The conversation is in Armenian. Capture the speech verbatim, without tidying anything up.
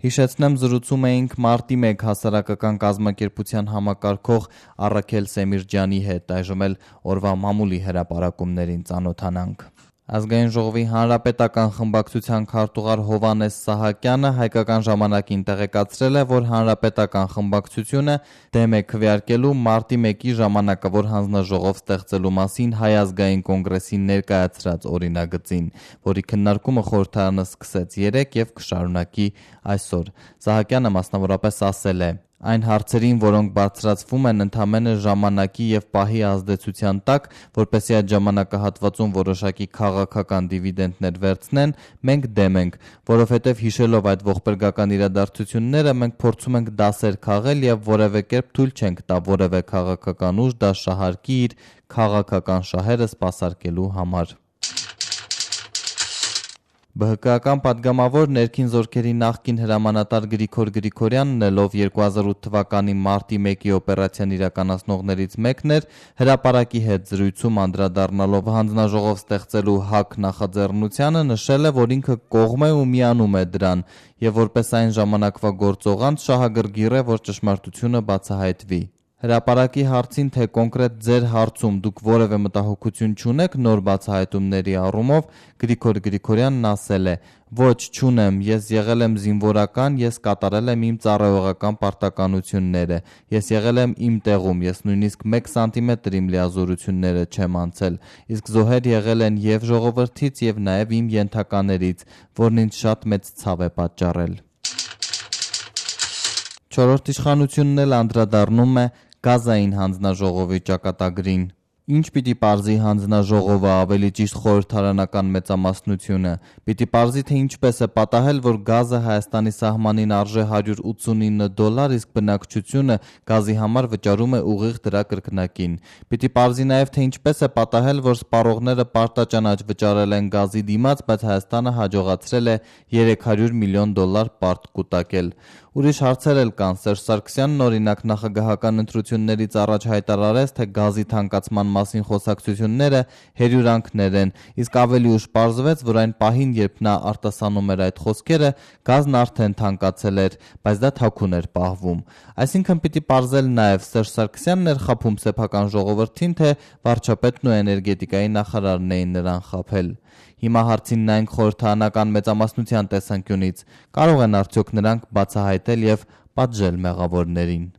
Հիշեցնեմ, զրուցում էինք մարտի մեկ հասարակական կազմակերպության համակարգող Առաքել Սեմիրջյանի հետ, այժմ էլ օրվա մամուլի հրապարակումներին ծանոթանանք։ Ազգային ժողովի հանրապետական խմբակցության քարտուղար Հովհաննես Սահակյանը Հայկական ժամանակին տեղեկացրել է, որ հանրապետական խմբակցությունը դեմ է քվեարկելու մարտի մեկի ժամանակավոր հանձնաժողով ստեղծելու մասին Հայ ազգային կոնգրեսին ներկայացրած օրինագծին, որի քննարկումը խորհրդարանը սկսեց երեկ եւ կշարունակի այսօր։ Սահակյանը մասնավորապես ասել է. Այն հարցերին, որոնք բարձրացվում են ընդամենը ժամանակի եւ պահի ազդեցության տակ, որպեսզի այդ ժամանակահատվածում որոշակի քաղաքական դիվիդենտներ վերցնեն, մենք դեմ ենք, որովհետեւ հիշելով այդ ողբերգական իրադարձությունները, մենք փորձում ենք դասեր քաղել եւ որևէ կերպ թույլ չենք տա որևէ քաղաքական ուժ դա շահարկի իր քաղաքական շահերը սպասարկելու համար։ ԲՀԿ-ական պատգամավոր ներքին զորքերի նախկին հրամանատար Գրիգոր Գրիգորյանն էլ, ով երկու հազար ութ թվականի մարտի մեկի օպերացիան իրականացնողներից մեկն էր, հրապարակի հետ զրույցում անդրադառնալով հանձնաժողով ստեղծելու ՀԱԿ նախաձեռնությանը նշել է, որ ինքը կողմ է ու միանում է դրան եւ որպես այն ժամանակվա գործողանց շահագրգիռ է, որ ճշմարտությունը բացահայտվի։ Հրապարակի հարցին, թե կոնկրետ ձեր հարցում դուք որևէ մտահոգություն չունեք նոր բացահայտումների առումով, Գրիգոր Գրիգորյանն ասել է. Ոչ, չունեմ, ես եղել եմ զինվորական, ես կատարել եմ իմ ծառայողական պարտականությունները, ես եղել եմ իմ տեղում, ես նույնիսկ մեկ սանտիմետր իմ լիազորությունները չեմ անցել, իսկ զոհեր եղել են եւ ժողովրդից եւ նաեւ իմ ենթականերից, որն ինձ շատ մեծ ցավ է պատճառել։ Չորրորդ իշխանությունն էլ անդրադառնում է Գազային հանձնաժողովի ճակատագրին։ Ինչ պիտի պարզի հանձնաժողովը, ավելի ճիշտ խորհրդարանական մեծամասնությունը։ Պիտի պարզի, թե ինչպես է պատահել, որ գազը Հայաստանի սահմանին արժե հարյուր ութսունինը դոլար, իսկ բնակչությունը գազի համար վճարում է ուղիղ դրա կրկնակին։ Պիտի պարզի նաև, թե ինչպես է պատահել, որ սպառողները պարտաճանաչ վճարել են գազի դիմաց, բայց Հայաստանը հաջողացրել է երեք հարյուր միլիոն դոլար պարտ կուտակել։ Ուրիշ հարցեր էլ կան։ Սերժ Սարգսյանն օրինակ նախագահական ընտրություններից առաջ հայտարարեց, թե գազի թանկացման մասին խոսակցությունները հերյուրանքներ են, իսկ ավելի ուշ պարզվեց, որ այն պահին, երբ նա արտասանում էր այդ խոսքերը, գազն արդեն թանկացել էր, բայց դա թաքուն էր պահվում։ Այսինքն պիտի պարզել նաև Սերժ Սարգսյանն էր խաբում սեփական ժողովրդին, թե վարչապետն ու էներգետիկայի նախարարն էին նրան խաբել։ Հիմա հարցին նայենք խորհրդարանական մեծամասնության տեսանկյունից, կարող են արդյոք նրանք բացահայտել եւ պատժել մեղավորներին։